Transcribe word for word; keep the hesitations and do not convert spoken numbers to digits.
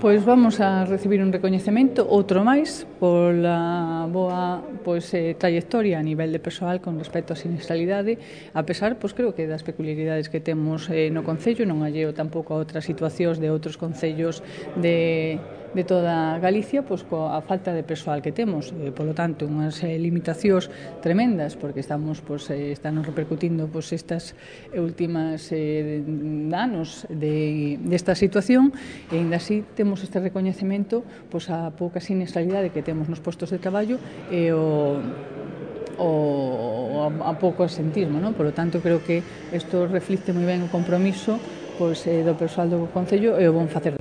Pois vamos a recibir un recoñecemento, outro máis, pola boa pois, eh, trayectoria a nivel de persoal con respecto á sinistralidade, a pesar, pois creo que das peculiaridades que temos eh, no Concello, non alleo tampouco a outras situacións de outros concellos de, de toda Galicia, pois coa falta de persoal que temos, eh, polo tanto, unhas eh, limitacións tremendas, porque estamos, pois, eh, están repercutindo pois, estas últimas eh, anos de, desta situación, e ainda así temos este recoñecemento pois, a pouca sinistralidade que temos nos postos de traballo e o o a pouco asentismo, non? Por lo tanto, creo que isto reflicte moi ben o compromiso pois, do persoal do Concello e o bon facer